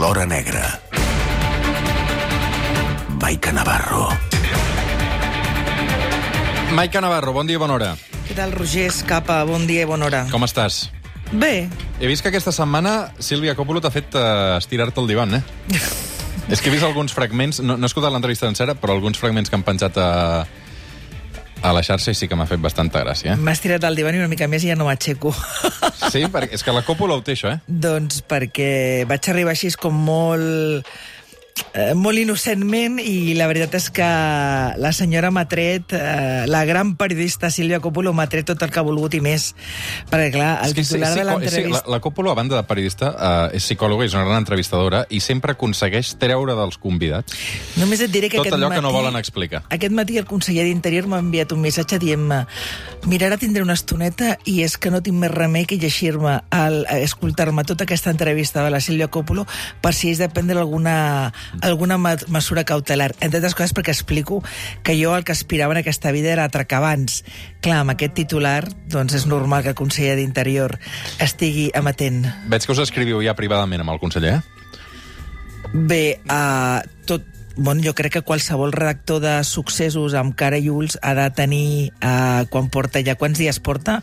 l'hora negra. Maica Navarro. Maica Navarro, bon dia i bona hora. Què tal, Roger Escapa? Bon dia i bona hora. Com estàs? Bé. He vist que aquesta setmana Sílvia Coppolo t'ha fet estirar-te el divan, És que he vist alguns fragments, no he escoltat l'entrevista sencera, però alguns fragments que han penjat a la xarxa i sí que m'ha fet bastanta gràcia. M'ha estirat el divan i una mica més i ja no m'aixeco. Sí? És que la Coppolo ho té, això, Doncs perquè vaig arribar així com molt innocentment, i la veritat és que la senyora m'ha tret, la gran periodista Sílvia Coppolo m'ha tret tot el que ha volgut i més, perquè clar, el titular de l'entrevista... La Coppolo, a banda de periodista, és psicòloga i és una gran entrevistadora i sempre aconsegueix treure dels convidats Només et diré que tot allò que no volen explicar. Aquest matí el conseller d'Interior m'ha enviat un missatge dient-me: mira, ara tindré una estoneta i és que no tinc més remei que llegir-me, escoltar-me tota aquesta entrevista de la Sílvia Coppolo per si és de prendre alguna mesura cautelar. Entre altres coses perquè explico que jo el que aspirava en aquesta vida era atracar bancs. Clar, amb aquest titular, doncs és normal que el conseller d'Interior estigui amatent. Veig que us escriviu ja privadament amb el conseller, Bé, jo crec que qualsevol redactor de successos amb cara i ulls ha de tenir, quan porta ja... Quants dies porta?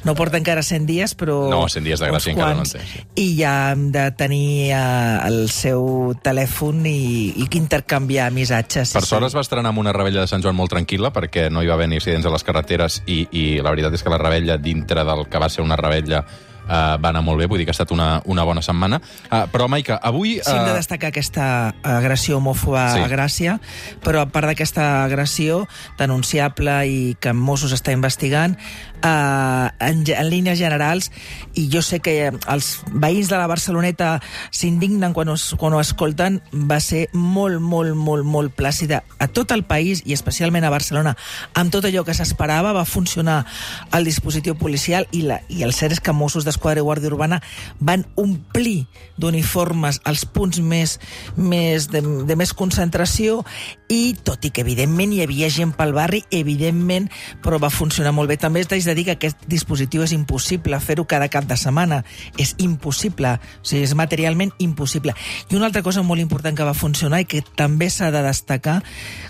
No porta encara 100 dies, però... No, 100 dies de gràcia encara no en té. Sí. I ja hem de tenir el seu telèfon i intercanviar missatges. Per sort es va estrenar amb una revetlla de Sant Joan molt tranquil·la, perquè no hi va haver ni accidents a les carreteres i la veritat és que la revetlla, dintre del que va ser una revetlla, va anar molt bé, vull dir que ha estat una bona setmana. Però, Maica, avui... Sí, hem de destacar aquesta agressió homòfoba a Gràcia, però a part d'aquesta agressió denunciable i que Mossos està investigant, en línies generals, i jo sé que els veïns de la Barceloneta s'indignen quan ho escolten, va ser molt plàcida a tot el país i especialment a Barcelona. Amb tot allò que s'esperava va funcionar el dispositiu policial i el cert és que Mossos d'Esquadra i Guàrdia Urbana van omplir d'uniformes els punts de més concentració, i tot i que evidentment hi havia gent pel barri, evidentment, però va funcionar molt bé. També t'haig de dir que aquest dispositiu és impossible fer-ho cada cap de setmana. És impossible, o sigui, és materialment impossible. I una altra cosa molt important que va funcionar i que també s'ha de destacar: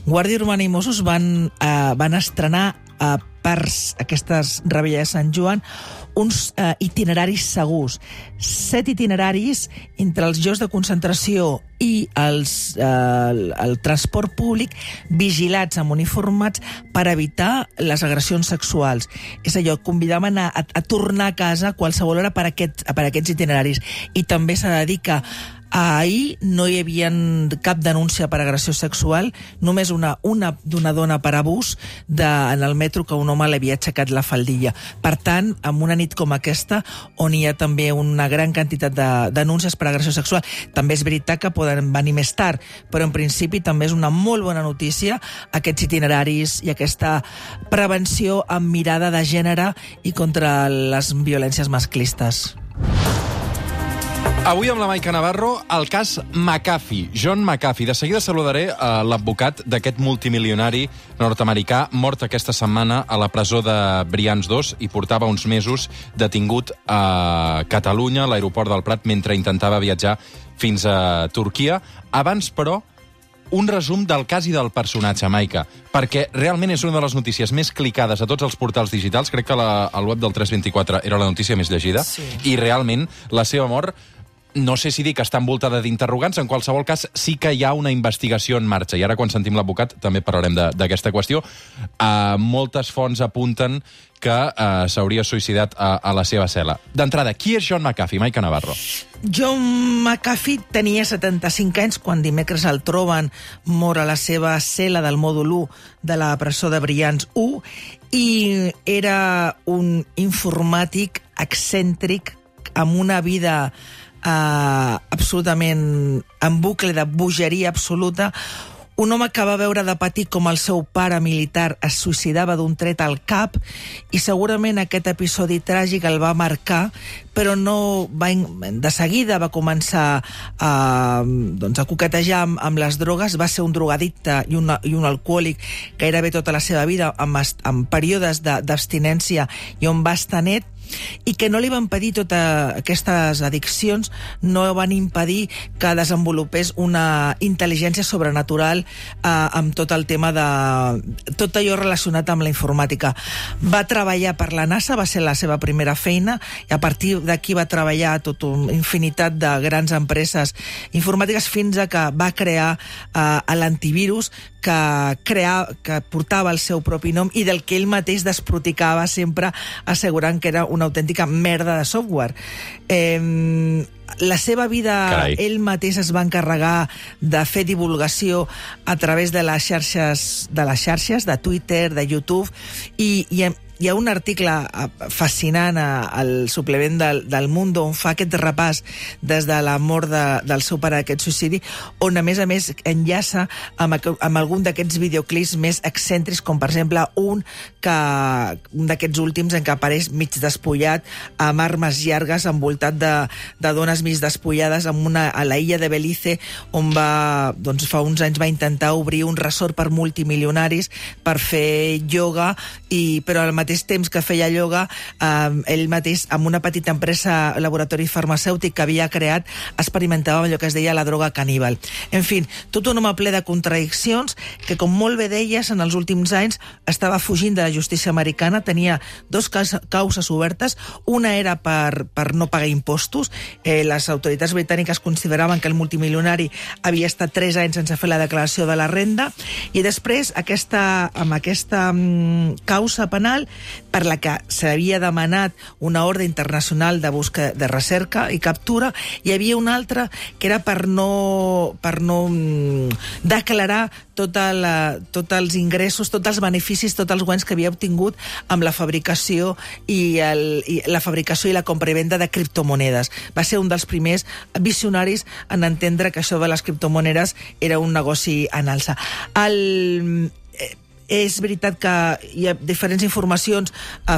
Guàrdia Urbana i Mossos van estrenar per aquestes revetlles de Sant Joan uns itineraris segurs. 7 itineraris entre els llocs de concentració i el transport públic, vigilats amb uniformats per evitar les agressions sexuals. És allò, convidaven a tornar a casa a qualsevol hora per aquests itineraris. I també s'ha de dir que ahir no hi havia cap denúncia per agressió sexual, només una d'una dona per abús en el metro, que un home li havia aixecat la faldilla. Per tant, en una nit com aquesta, on hi ha també una gran quantitat de denúncies per agressió sexual, també és veritat que poden venir més tard, però en principi també és una molt bona notícia aquests itineraris i aquesta prevenció amb mirada de gènere i contra les violències masclistes. Avui amb la Maica Navarro, el cas McAfee, John McAfee. De seguida saludaré l'advocat d'aquest multimilionari nord-americà mort aquesta setmana a la presó de Brians 2 i portava uns mesos detingut a Catalunya, a l'aeroport del Prat, mentre intentava viatjar fins a Turquia. Abans, però, un resum del cas i del personatge, Maica, perquè realment és una de les notícies més clicades a tots els portals digitals. Crec que al web del 324 era la notícia més llegida, i realment la seva mort, no sé si dir que està envoltada d'interrogants, en qualsevol cas sí que hi ha una investigació en marxa, i ara quan sentim l'advocat també parlarem d'aquesta qüestió. Moltes fonts apunten que s'hauria suïcidat a la seva cel·la. D'entrada, qui és John McAfee, Maica Navarro? John McAfee tenia 75 anys quan dimecres el troben mort a la seva cel·la del mòdul 1 de la presó de Brians 1, i era un informàtic excèntric amb una vida absolutament en bucle de bogeria absoluta, un home que va veure de petit com el seu pare militar es suïcidava d'un tret al cap, i segurament aquest episodi tràgic el va marcar, però de seguida va començar a coquetejar amb les drogues. Va ser un drogadicte i un alcohòlic gairebé tota la seva vida, amb períodes d'abstinència i on va estar net. i que no li van impedir totes aquestes addiccions, no van impedir que desenvolupés una intel·ligència sobrenatural amb tot el tema de... tot allò relacionat amb la informàtica. Va treballar per la NASA, va ser la seva primera feina, i a partir d'aquí va treballar tota una infinitat de grans empreses informàtiques fins a que va crear l'antivirus que portava el seu propi nom i del que ell mateix desproticava sempre, assegurant que era una autèntica merda de software. La seva vida, Carai. ell mateix es va encarregar de fer divulgació a través de les xarxes, de Twitter, de YouTube, i hi ha un article fascinant al suplement del Mundo on fa aquest repàs des de la mort del seu pare, d'aquest suïcidi, on a més enllaça amb algun d'aquests videoclips més excèntrics, com per exemple un d'aquests últims en què apareix mig despullat, amb armes llargues, envoltat de dones mig despullades, a la illa de Belize, on doncs fa uns anys va intentar obrir un resort per multimilionaris per fer ioga, però al mateix temps que feia ioga, ell mateix, amb una petita empresa, laboratori farmacèutic que havia creat, experimentava amb allò que es deia la droga caníbal. En fi, tot un home ple de contradiccions que, com molt bé deies, en els últims anys estava fugint de la justícia americana, tenia dos causes obertes, una era per no pagar impostos, les autoritats britàniques consideraven que el multimilionari havia estat 3 anys sense fer la declaració de la renda, i després, amb aquesta causa penal, per la que s'havia demanat una ordre internacional de recerca i captura, hi havia una altra que era per no declarar tots els ingressos, tots els beneficis, tots els guanys que havia obtingut amb la fabricació i la compra i venda de criptomonedes. Va ser un dels primers visionaris en entendre que això de les criptomonedes era un negoci en alça. És veritat que hi ha diferents informacions,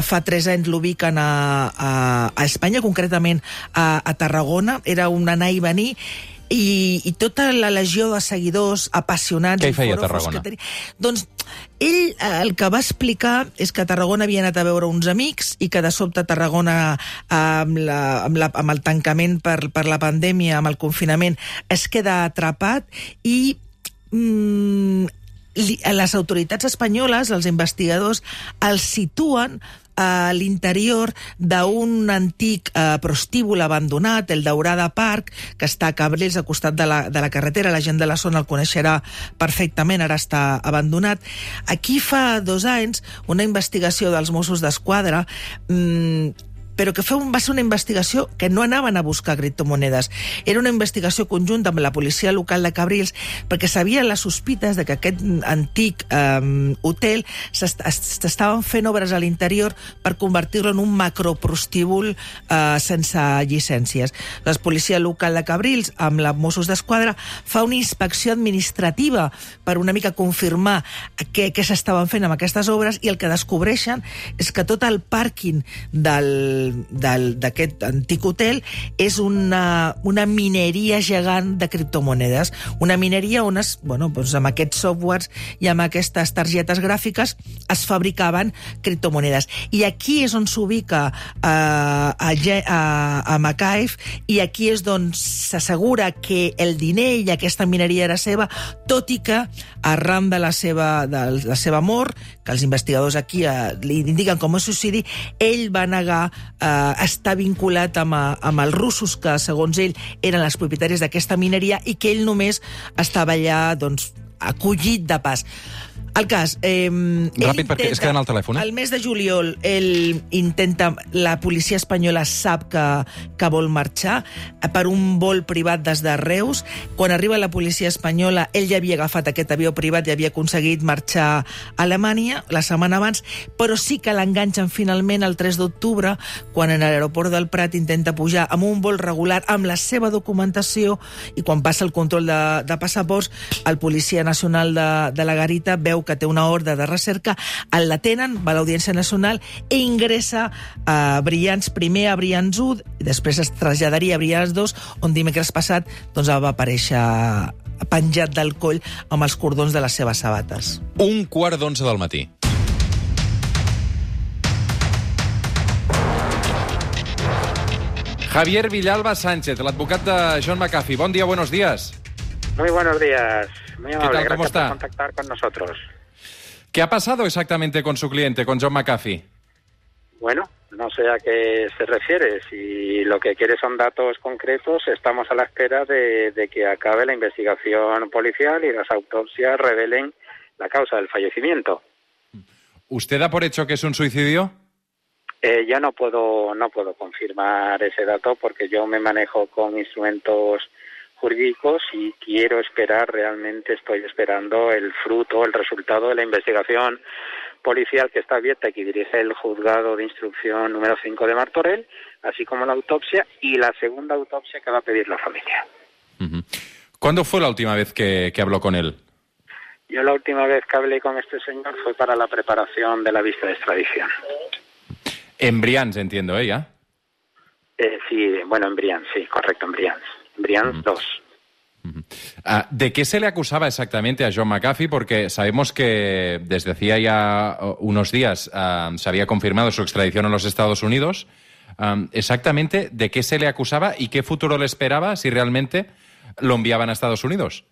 fa 3 anys l'ubiquen a Espanya, concretament a Tarragona, era un anar i venir, i tota la legió de seguidors apassionats... Què hi feia a Tarragona? Doncs ell el que va explicar és que a Tarragona havia anat a veure uns amics i que de sobte a Tarragona, amb el tancament per la pandèmia, amb el confinament, es queda atrapat i... les autoritats espanyoles, els investigadors, els situen a l'interior d'un antic prostíbul abandonat, el Daurada Park, que està a Cabrils, al costat de la carretera. La gent de la zona el coneixerà perfectament, ara està abandonat. Aquí fa 2 anys, una investigació dels Mossos d'Esquadra, però que va ser una investigació que no anaven a buscar criptomonedes. Era una investigació conjunta amb la policia local de Cabrils, perquè sabien les sospites de que aquest antic hotel s'estaven fent obres a l'interior per convertir-lo en un macroprostíbul sense llicències. La policia local de Cabrils, amb la Mossos d'Esquadra, fa una inspecció administrativa per una mica confirmar què s'estaven fent amb aquestes obres, i el que descobreixen és que tot el pàrquing d'aquest antic hotel és una mineria gegant de criptomonedes. Una mineria on amb aquests softwares i amb aquestes targetes gràfiques es fabricaven criptomonedes. I aquí és on s'ubica a Macaif, i aquí és on s'assegura que el diner i aquesta mineria era seva, tot i que arran de la seva mort, que els investigadors aquí li indiquen com a suïcidi, ell va negar estar vinculat amb els russos, que segons ell eren els propietaris d'aquesta mineria, i que ell només estava allà acollit de pas. El cas... Ràpid, perquè es queda en el telèfon. El mes de juliol, la policia espanyola sap que vol marxar per un vol privat des de Reus. Quan arriba la policia espanyola, ell ja havia agafat aquest avió privat i havia aconseguit marxar a Alemanya la setmana abans, però sí que l'enganxen finalment el 3 d'octubre, quan en l'aeroport del Prat intenta pujar amb un vol regular, amb la seva documentació, i quan passa el control de passaports, el policia nacional de la Garita veu que té una ordre de recerca, el detenen, va a l'Audiència Nacional i ingressa primer a Brians 1, i després es traslladaria a Brians 2, on dimecres passat va aparèixer penjat del coll amb els cordons de les seves sabates. 1:15 del matí. Javier Villalba Sánchez, el advocat de John McAfee. Bon dia, buenos días. Muy buenos días. Muy amable. ¿Qué tal? ¿Cómo Gracias está? por contactar con nosotros. ¿Qué ha pasado exactamente con su cliente, con John McAfee? Bueno, no sé a qué se refiere. Si lo que quiere son datos concretos, estamos a la espera de que acabe la investigación policial y las autopsias revelen la causa del fallecimiento. ¿Usted da por hecho que es un suicidio? Yo no puedo confirmar ese dato porque yo me manejo con instrumentos jurídicos y quiero esperar, realmente estoy esperando el fruto, el resultado de la investigación policial que está abierta y que dirige el juzgado de instrucción número 5 de Martorell, así como la autopsia y la segunda autopsia que va a pedir la familia. ¿Cuándo fue la última vez que habló con él? Yo la última vez que hablé con este señor fue para la preparación de la vista de extradición. En Brians, entiendo, ¿ya? Sí, bueno, en Brians, sí, correcto, en Brians. Brians 2. ¿De qué se le acusaba exactamente a John McAfee? Porque sabemos que desde hacía ya unos días se había confirmado su extradición a los Estados Unidos. Exactamente, ¿de qué se le acusaba y qué futuro le esperaba si realmente lo enviaban a Estados Unidos?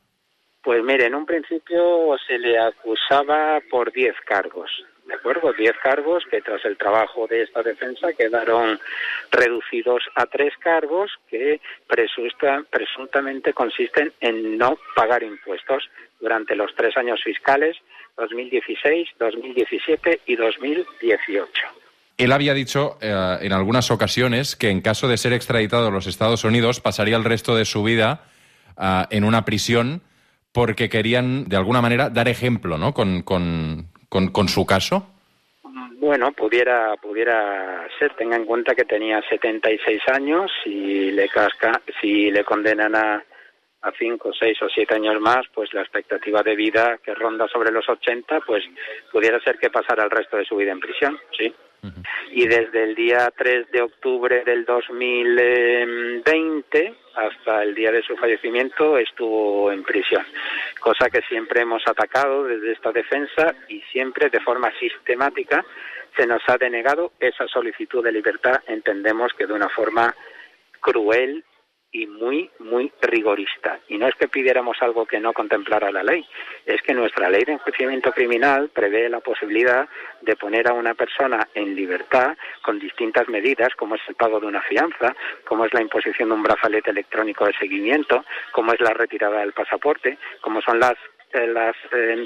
Pues mire, en un principio se le acusaba por 10 cargos. ¿De acuerdo? 10 cargos que tras el trabajo de esta defensa quedaron reducidos a 3 cargos que presuntamente consisten en no pagar impuestos durante los 3 años fiscales 2016, 2017 y 2018. Él había dicho en algunas ocasiones que en caso de ser extraditado a los Estados Unidos pasaría el resto de su vida en una prisión porque querían, de alguna manera, dar ejemplo, ¿no? Con su caso. Bueno, pudiera ser. Tenga en cuenta que tenía 76 años y si le condenan a 5, 6 o 7 años más, pues la expectativa de vida que ronda sobre los 80, pues pudiera ser que pasara el resto de su vida en prisión, sí. Y desde el día 3 de octubre del 2020 hasta el día de su fallecimiento estuvo en prisión, cosa que siempre hemos atacado desde esta defensa y siempre de forma sistemática se nos ha denegado esa solicitud de libertad, entendemos que de una forma cruel y muy, muy rigorista. Y no es que pidiéramos algo que no contemplara la ley, es que nuestra ley de enjuiciamiento criminal prevé la posibilidad de poner a una persona en libertad con distintas medidas, como es el pago de una fianza, como es la imposición de un brazalete electrónico de seguimiento, como es la retirada del pasaporte, como son las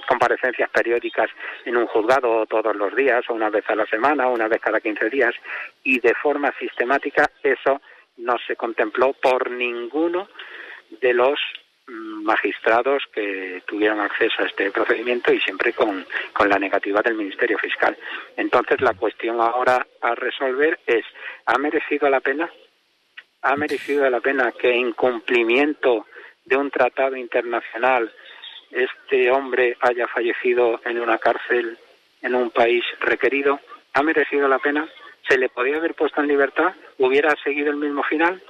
comparecencias periódicas en un juzgado todos los días, o una vez a la semana, o una vez cada 15 días, y de forma sistemática eso no se contempló por ninguno de los magistrados que tuvieron acceso a este procedimiento y siempre con la negativa del Ministerio Fiscal. Entonces la cuestión ahora a resolver es, ¿ha merecido la pena? ¿Ha merecido la pena que en cumplimiento de un tratado internacional este hombre haya fallecido en una cárcel en un país requerido? ¿Ha merecido la pena? ¿Se le podía haber puesto en libertad? ¿Hubiera seguido el mismo final?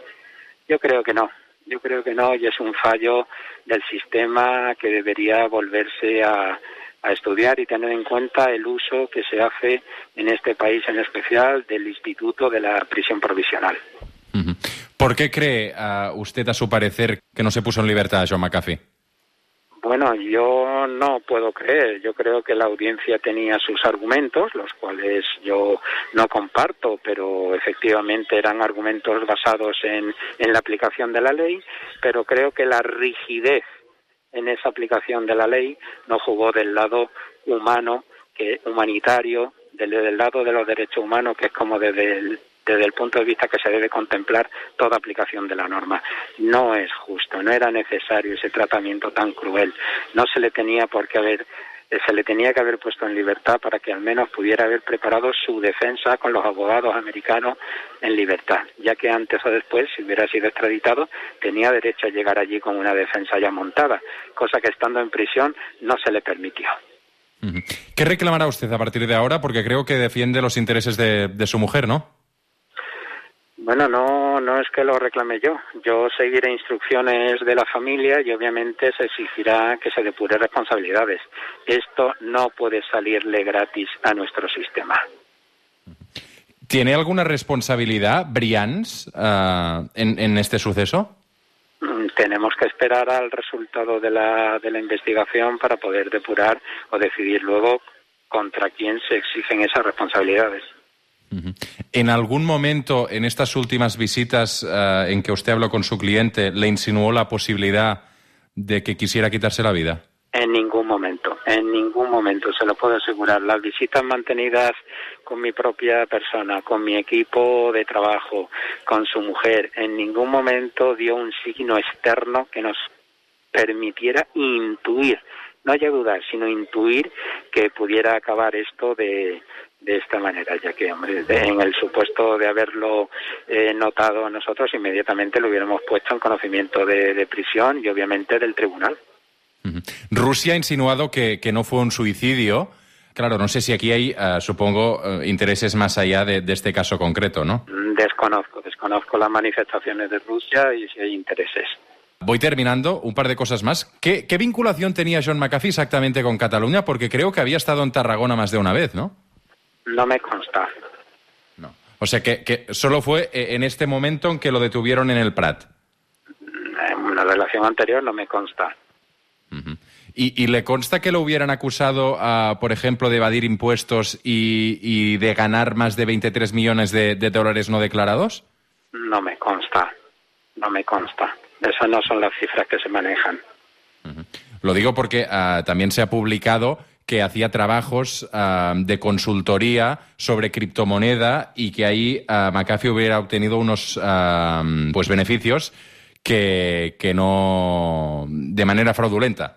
Yo creo que no. Yo creo que no, y es un fallo del sistema que debería volverse a estudiar y tener en cuenta el uso que se hace en este país en especial del instituto de la prisión provisional. ¿Por qué cree usted, a su parecer, que no se puso en libertad a John McAfee? Bueno, yo no puedo creer. Yo creo que la audiencia tenía sus argumentos, los cuales yo no comparto, pero efectivamente eran argumentos basados en la aplicación de la ley, pero creo que la rigidez en esa aplicación de la ley no jugó del lado humano, humanitario, del lado de los derechos humanos, que es como desde el punto de vista que se debe contemplar toda aplicación de la norma. No es justo, no era necesario ese tratamiento tan cruel. No se le tenía se le tenía que haber puesto en libertad para que al menos pudiera haber preparado su defensa con los abogados americanos en libertad, ya que antes o después, si hubiera sido extraditado, tenía derecho a llegar allí con una defensa ya montada, cosa que estando en prisión no se le permitió. ¿Qué reclamará usted a partir de ahora? Porque creo que defiende los intereses de su mujer, ¿no? Bueno, no es que lo reclame yo. Yo seguiré instrucciones de la familia y obviamente se exigirá que se depure responsabilidades. Esto no puede salirle gratis a nuestro sistema. ¿Tiene alguna responsabilidad Brians en este suceso? Tenemos que esperar al resultado de la investigación para poder depurar o decidir luego contra quién se exigen esas responsabilidades. ¿En algún momento, en estas últimas visitas en que usted habló con su cliente, le insinuó la posibilidad de que quisiera quitarse la vida? En ningún momento, se lo puedo asegurar. Las visitas mantenidas con mi propia persona, con mi equipo de trabajo, con su mujer, en ningún momento dio un signo externo que nos permitiera intuir, no hay dudar, sino intuir que pudiera acabar esto de esta manera, ya que, hombre, en el supuesto de haberlo notado nosotros, inmediatamente lo hubiéramos puesto en conocimiento de prisión y obviamente del tribunal. Rusia ha insinuado que no fue un suicidio. Claro, no sé si aquí hay, supongo, intereses más allá de este caso concreto, ¿no? Desconozco las manifestaciones de Rusia y si hay intereses. Voy terminando, un par de cosas más. ¿Qué vinculación tenía John McAfee exactamente con Cataluña? Porque creo que había estado en Tarragona más de una vez, ¿no? No me consta. No. O sea, que solo fue en este momento en que lo detuvieron en el Prat. En una relación anterior no me consta. Uh-huh. ¿Y le consta que lo hubieran acusado, por ejemplo, de evadir impuestos y de ganar más de 23 millones de dólares no declarados? No me consta. Esas no son las cifras que se manejan. Uh-huh. Lo digo porque también se ha publicado que hacía trabajos de consultoría sobre criptomoneda y que ahí McAfee hubiera obtenido unos beneficios que no de manera fraudulenta.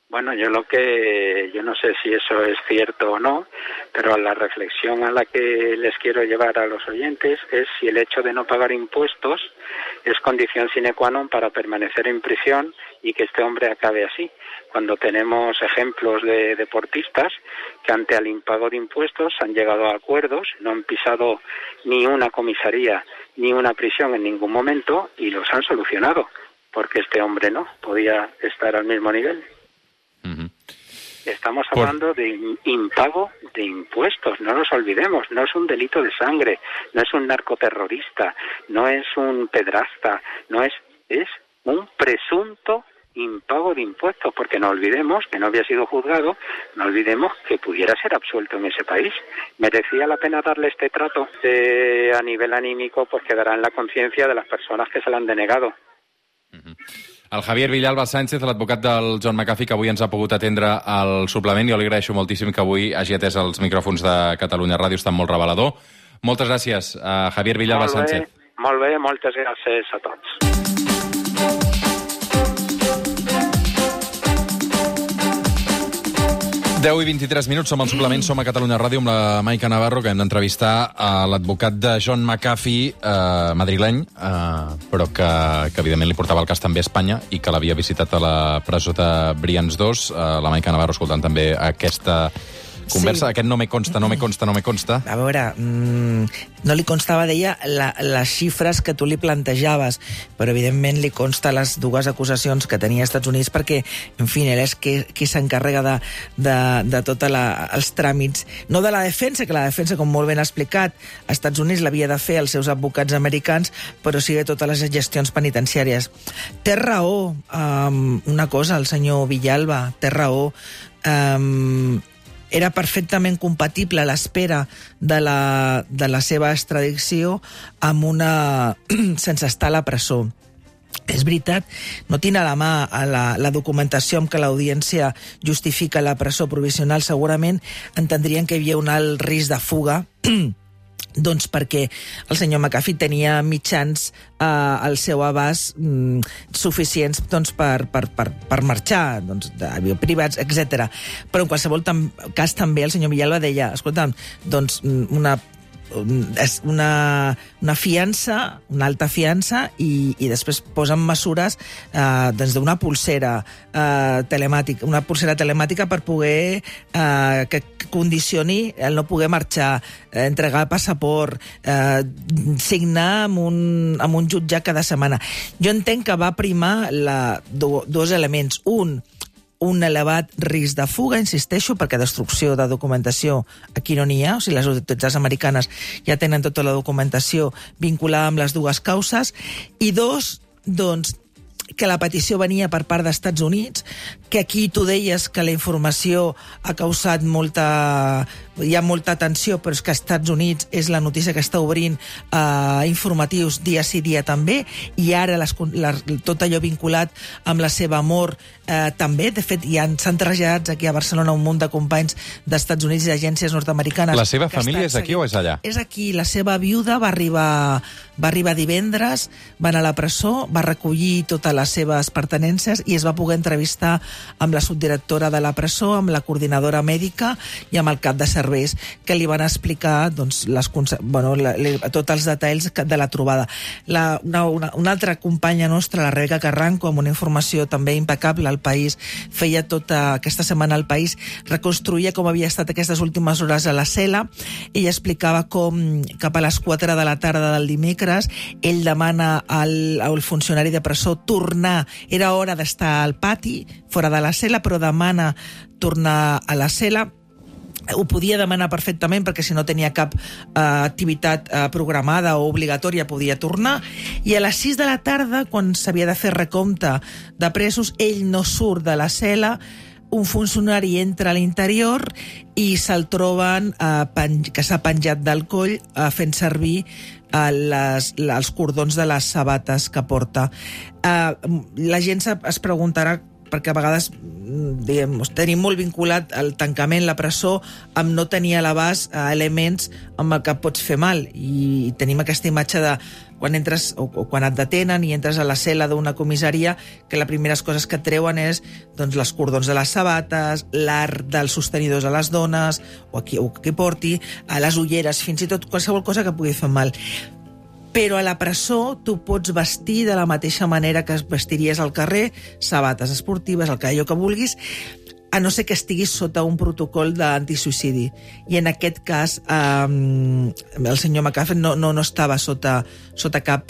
Bueno, yo no sé si eso es cierto o no, pero la reflexión a la que les quiero llevar a los oyentes es si el hecho de no pagar impuestos es condición sine qua non para permanecer en prisión y que este hombre acabe así. Cuando tenemos ejemplos de deportistas que ante el impago de impuestos han llegado a acuerdos, no han pisado ni una comisaría ni una prisión en ningún momento y los han solucionado, porque este hombre no podía estar al mismo nivel. Uh-huh. Estamos hablando de impago de impuestos, no nos olvidemos, no es un delito de sangre, no es un narcoterrorista, no es un pedrasta, es un presunto impago de impuestos, porque no olvidemos que no había sido juzgado, no olvidemos que pudiera ser absuelto en ese país. ¿Merecía la pena darle este trato? A nivel anímico, pues quedará en la conciencia de las personas que se le han denegado. Uh-huh. El Javier Villalba Sánchez, l'advocat del John McAfee, que avui ens ha pogut atendre al suplement. Jo li agraeixo moltíssim que avui hagi atès els micròfons de Catalunya Ràdio, està molt revelador. Moltes gràcies, Javier Villalba Sánchez. Molt bé, moltes gràcies a tots. Deu i 23 minuts, som al suplement, som a Catalunya Ràdio amb la Maica Navarro, que hem d'entrevistar a l'advocat de John McAfee, madrileny, però que evidentment li portava el cas també a Espanya i que l'havia visitat a la presó de Brians 2. La Maica Navarro escoltant també aquesta conversa, aquest no me consta. A veure, no li constava, deia, les xifres que tu li plantejaves, però evidentment li consta les dues acusacions que tenia als Estats Units perquè, en fi, ell és qui s'encarrega de tots els tràmits, no de la defensa, que la defensa, com molt ben explicat, als Estats Units l'havia de fer els seus advocats americans, però sí de totes les gestions penitenciàries. Té raó, una cosa, el senyor Villalba, té raó, era perfectament compatible l'espera de la seva extradició amb sense estar a la presó. És veritat, no tinc a la mà la documentació amb què l'audiència justifica la presó provisional, segurament entendrien que hi havia un alt risc de fuga, doncs perquè el senyor McAfee tenia mitjans al seu abast suficients per marxar, d'avió privats, etc. Però en qualsevol cas també el senyor Villalba deia, escolta'm, doncs una fiança, una alta fiança i després posen mesures d'una pulsera telemàtica, per poder que condicioni el no poder marxar, entregar el passaport, signar amb un jutjat cada setmana. Jo entenc que va primar dos elements. un elevat risc de fuga, insisteixo, perquè destrucció de documentació aquí no n'hi ha, o sigui, les autoritats americanes ja tenen tota la documentació vinculada amb les dues causes, i dos, doncs, que la petició venia per part dels Estats Units, que aquí tu deies que la informació ha causat hi ha molta tensió, però és que als Estats Units és la notícia que està obrint informatius dia sí dia també, i ara tot allò vinculat amb la seva mort també. De fet, s'han traslladat aquí a Barcelona un munt de companys dels Estats Units i d'agències nord-americanes. La seva família és aquí o és allà? És aquí. La seva viuda va arribar divendres, va anar a la presó, va recollir totes les seves pertenences i es va poder entrevistar amb la subdirectora de la presó, amb la coordinadora mèdica i amb el cap de serveis, que li van explicar doncs, tots els detalls de la trobada. Una altra companya nostra, la Rebeca Carranco, amb una informació també impecable al País, feia tota aquesta setmana al País, reconstruïa com havia estat aquestes últimes hores a la cel·la. Ella explicava com cap a les 4 de la tarda del dimecres ell demana al funcionari de presó tornar, era hora d'estar al pati, fora de la cel·la, però demana tornar a la cel·la. Ho podia demanar perfectament perquè si no tenia cap activitat programada o obligatòria podia tornar, i a les 6 de la tarda, quan s'havia de fer recompte de presos, ell no surt de la cel·la, un funcionari entra a l'interior i se'l troben que s'ha penjat del coll fent servir els cordons de les sabates que porta. La gent es preguntarà, perquè a vegades tenim molt vinculat el tancament, la presó, amb no tenir a l'abast elements amb el que pots fer mal, i tenim aquesta imatge de quan entres o quan et detenen i entres a la cel·la d'una comissaria, que les primeres coses que et treuen és doncs, els cordons de les sabates, l'art dels sostenidors a les dones, o qui porti, les ulleres, fins i tot qualsevol cosa que pugui fer mal. Però a la presó tu pots vestir de la mateixa manera que es vestiries al carrer, sabates esportives, allò que vulguis, a no ser que estiguis sota un protocol d'antisuïcidi. I en aquest cas el senyor McAfee no estava sota cap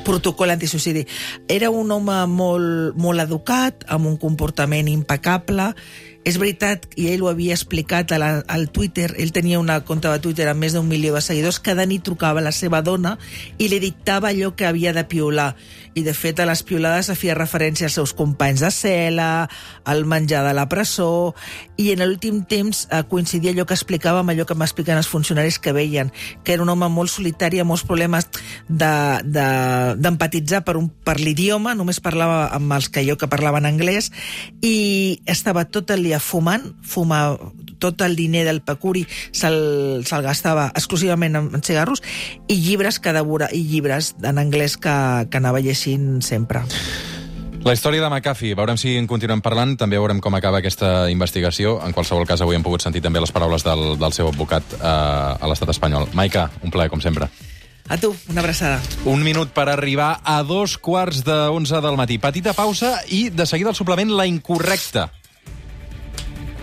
protocol antisuïcidi. Era un home molt educat, amb un comportament impecable. És veritat, i ell ho havia explicat al Twitter, ell tenia una compte de Twitter amb més d'1 milió de seguidors, cada nit trucava a la seva dona i li dictava allò que havia de piular. I de fet a les piulades feia referència als seus companys de cel·la, al menjar de la presó, i en l'últim temps coincidia allò que explicava amb allò que m'expliquen els funcionaris que veien, que era un home molt solitari, amb molts problemes d'empatitzar per l'idioma, només parlava amb els que parlaven anglès, i estava tot el dia fumant tot el diner del pecuri se'l gastava exclusivament en cigarros, i llibres en anglès que anava llegint sempre. La història de McAfee, veurem si en continuem parlant, també veurem com acaba aquesta investigació. En qualsevol cas, avui hem pogut sentir també les paraules del seu advocat a l'estat espanyol. Maica, un plaer, com sempre. A tu, una abraçada. Un minut per arribar a 11:15 del matí. Petita pausa i de seguida el suplement La Incorrecta.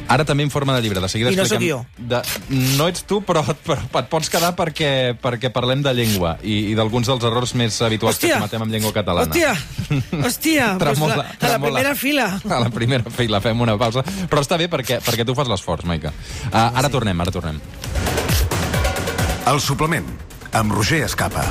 Ara també en forma de llibre. De seguida I no sóc jo. No ets tu, però et pots quedar perquè parlem de llengua i d'alguns dels errors més habituals que cometem amb llengua catalana. Hòstia, a la primera fila. A la primera fila, fem una pausa. Però està bé perquè tu fas l'esforç, Maica. Ara tornem. El suplement, amb Roger Escapa.